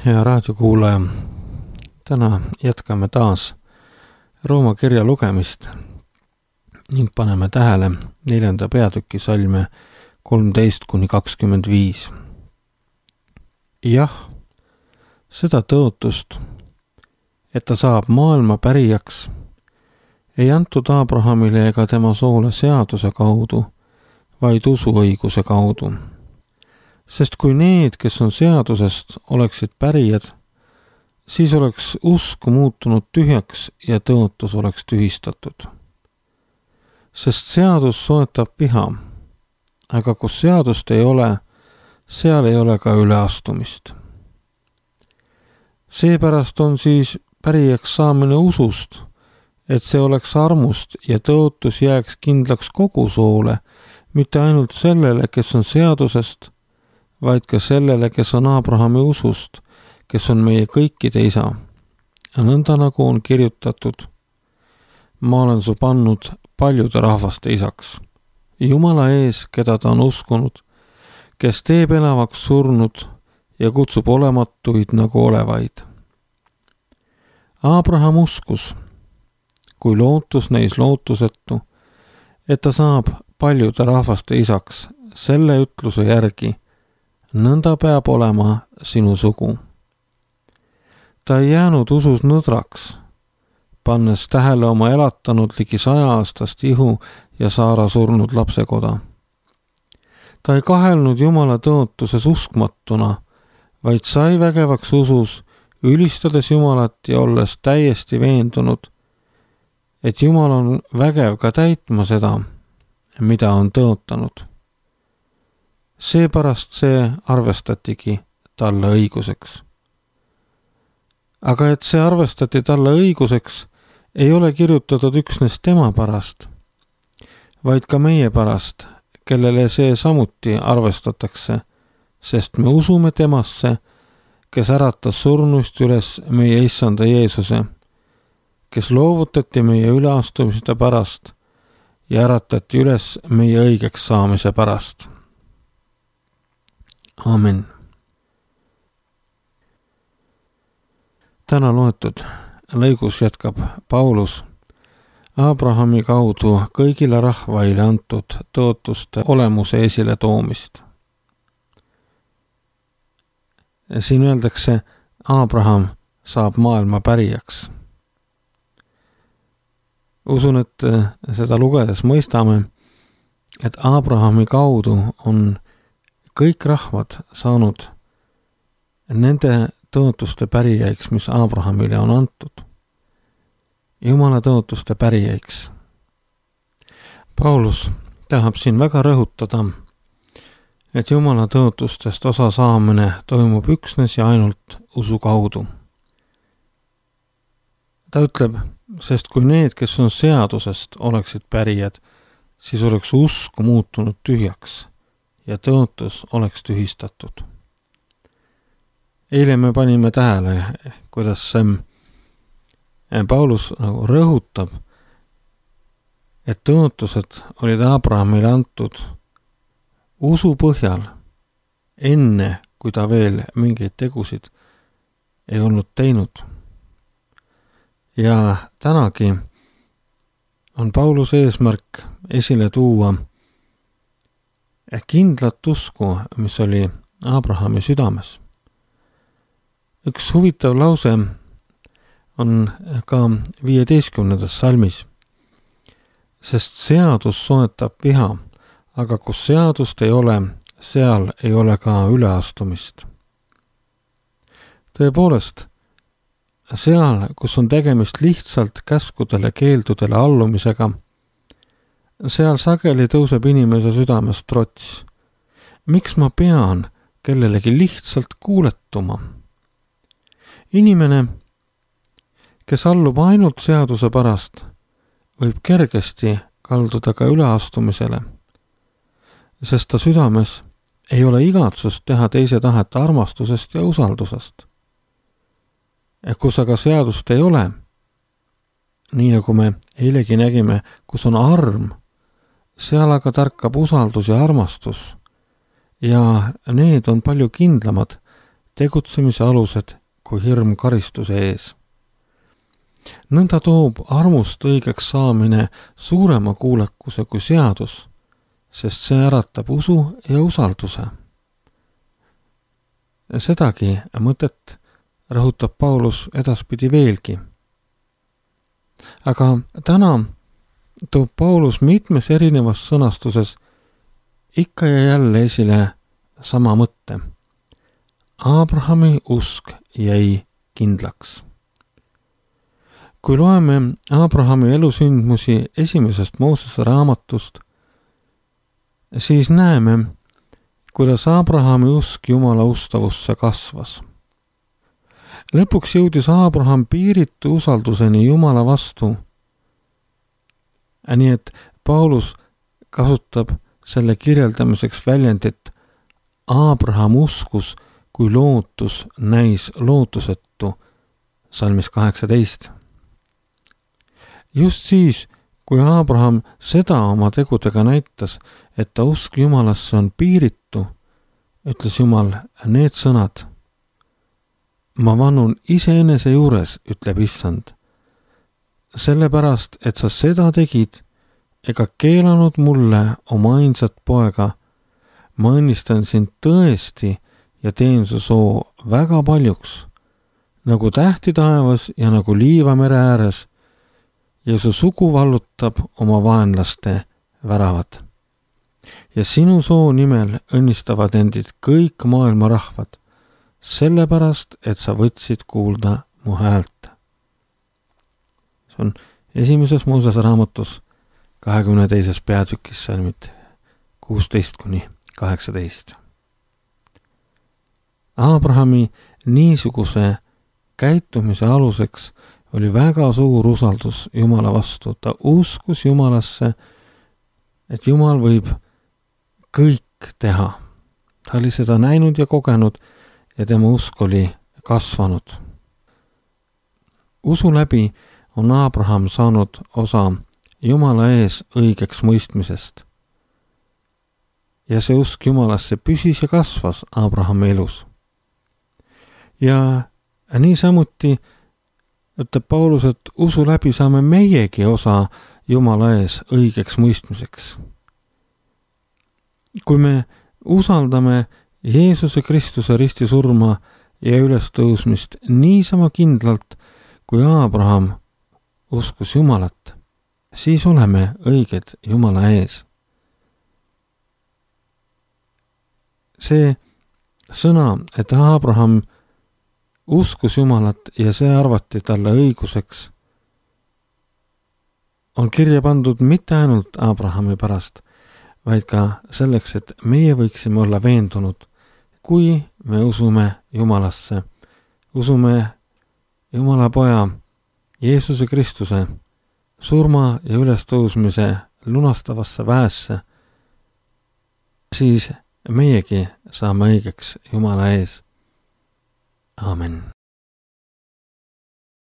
hea raadiokuulaja! Täna jätkame taas Rooma kirja lugemist ning paneme tähele 4. peatüki salme 13-25. Jah, seda tõotust, et ta saab maailma pärijaks, ei antud Abrahamile ega tema soole seaduse kaudu, vaid usuõiguse kaudu. Sest kui need, kes on seadusest, oleksid pärijad, siis oleks usk muutunud tühjaks ja tõotus oleks tühistatud. Sest seadus soetab viha, aga kus seadust ei ole, seal ei ole ka üleastumist. Seepärast on siis pärijaks saamine usust, et see oleks armust ja tõotus jääks kindlaks kogu soole, mitte ainult sellele, kes on seadusest, vaid ka sellele, kes on Abrahami usust, kes on meie kõikide isa. Nõnda nagu on kirjutatud, ma olen su pannud paljude rahvaste isaks, Jumala ees, keda ta on uskunud, kes teeb elavaks surnud ja kutsub olematuid nagu olevaid. Abraham uskus, kui lootus neis lootusetu, et ta saab paljude rahvaste isaks selle ütluse järgi, nõnda peab olema sinu sugu. Ta ei jäänud usus nõdraks, pannes tähele oma elatanud ligi 100-aastast ihu ja Saara surnud lapsekoda. Ta ei kahelnud Jumala tõotuses uskmatuna, vaid sai vägevaks usus, ülistades Jumalat ja olles täiesti veendunud, et Jumal on vägev ka täitma seda, mida on tõotanud. Seepärast see arvestatigi talle õiguseks. Aga et see arvestati talle õiguseks, ei ole kirjutatud üksnes tema pärast, vaid ka meie pärast, kellele see samuti arvestatakse, sest me usume temasse, kes äratas surnuist üles meie issanda Jeesuse, kes loovutati meie üleastumiste pärast ja äratati üles meie õigeks saamise pärast. Aamen. Täna loetud lõigus jätkab Paulus Abrahami kaudu kõigile rahvaile antud tõotuste olemuse esile toomist. Siin öeldakse, Abraham saab maailma pärijaks. Usun, et seda lugedes mõistame, et Abrahami kaudu on kõik rahvad saanud nende tõotuste pärijaiks, mis Abrahamile on antud. Jumala tõotuste pärijaiks. Paulus tahab siin väga rõhutada, et Jumala tõotustest osa saamine toimub üksnes ja ainult usu kaudu. Ta ütleb, sest kui need, kes on seadusest, oleksid pärijad, siis oleks usk muutunud tühjaks ja tõotus oleks tühistatud. Eile me panime tähele, kuidas Paulus rõhutab, et tõotused olid Abrahamile antud usu põhjal, enne kui ta veel mingeid tegusid ei olnud teinud. Ja tänagi on Pauluse eesmärk esile tuua kindlat usku, mis oli Abrahami südames. Üks huvitav lause on ka 15. salmis, sest seadus soetab viha, aga kus seadust ei ole, seal ei ole ka üleastumist. Tõepoolest, seal, kus on tegemist lihtsalt käskudele keeldudele allumisega, seal sageli tõuseb inimese südames trots. Miks ma pean kellelegi lihtsalt kuuletuma? Inimene, kes allub ainult seaduse pärast, võib kergesti kalduda ka üleastumisele, sest ta südames ei ole igatsust teha teise tahet armastusest ja usaldusest. Kus aga seadust ei ole, nii nagu me eilegi nägime, kus on arm, seal aga tärkab usaldus ja armastus ja need on palju kindlamad tegutsemise alused kui hirm karistuse ees. Nõnda toob armust õigeks saamine suurema kuulekuse kui seadus, sest see äratab usu ja usalduse. Sedagi mõtet rõhutab Paulus edaspidi veelgi. Aga täna toob Paulus mitmes erinevas sõnastuses ikka ja jälle esile sama mõtte. Abrahami usk jäi kindlaks. Kui loeme Abrahami elusündmusi esimesest Moosese raamatust, siis näeme, kuidas Abrahami usk Jumala ustavusse kasvas. Lõpuks jõudis Abraham piiritu usalduseni Jumala vastu. Nii et Paulus kasutab selle kirjeldamiseks väljendit Abraham uskus, kui lootus näis lootusetu, salmis 18. Just siis, kui Abraham seda oma tegudega näitas, et ta usk Jumalasse on piiritu, ütles Jumal need sõnad. Ma vannun iseenese juures, ütleb Issand, sellepärast, et sa seda tegid ega keelanud mulle oma ainsat poega. Ma õnnistan sind tõesti ja teen su soo väga paljuks, nagu tähti taevas ja nagu liiva mere ääres, ja su sugu vallutab oma vaenlaste väravad. Ja sinu soo nimel õnnistavad endid kõik maailma rahvad, sellepärast, et sa võtsid kuulda mu häält. See on esimeses Moosese raamatus 22. peatükis salmid 16-18. Abrahami niisuguse käitumise aluseks oli väga suur usaldus Jumala vastu. Ta uskus Jumalasse, et Jumal võib kõik teha. Ta oli seda näinud ja kogenud ja tema usk oli kasvanud. Usu läbi on Abraham saanud osa Jumala ees õigeks mõistmisest. Ja see usk Jumalasse püsis ja kasvas Abrahami elus. Ja niisamuti ütleb Paulus, et usu läbi saame meiegi osa Jumala ees õigeks mõistmiseks. Kui me usaldame Jeesuse Kristuse ristisurma ja ülestõusmist niisama kindlalt, kui Abraham uskus Jumalat, siis oleme õiged Jumala ees. See sõna, et Abraham uskus Jumalat ja see arvati talle õiguseks, on kirja pandud mitte ainult Abrahami pärast, vaid ka selleks, et meie võiksime olla veendunud, kui me usume Jumalasse, usume Jumala poja Jeesuse Kristuse surma ja ülestõusmise lunastavasse väesse, siis meiegi saame õigeks Jumala ees. Aamen.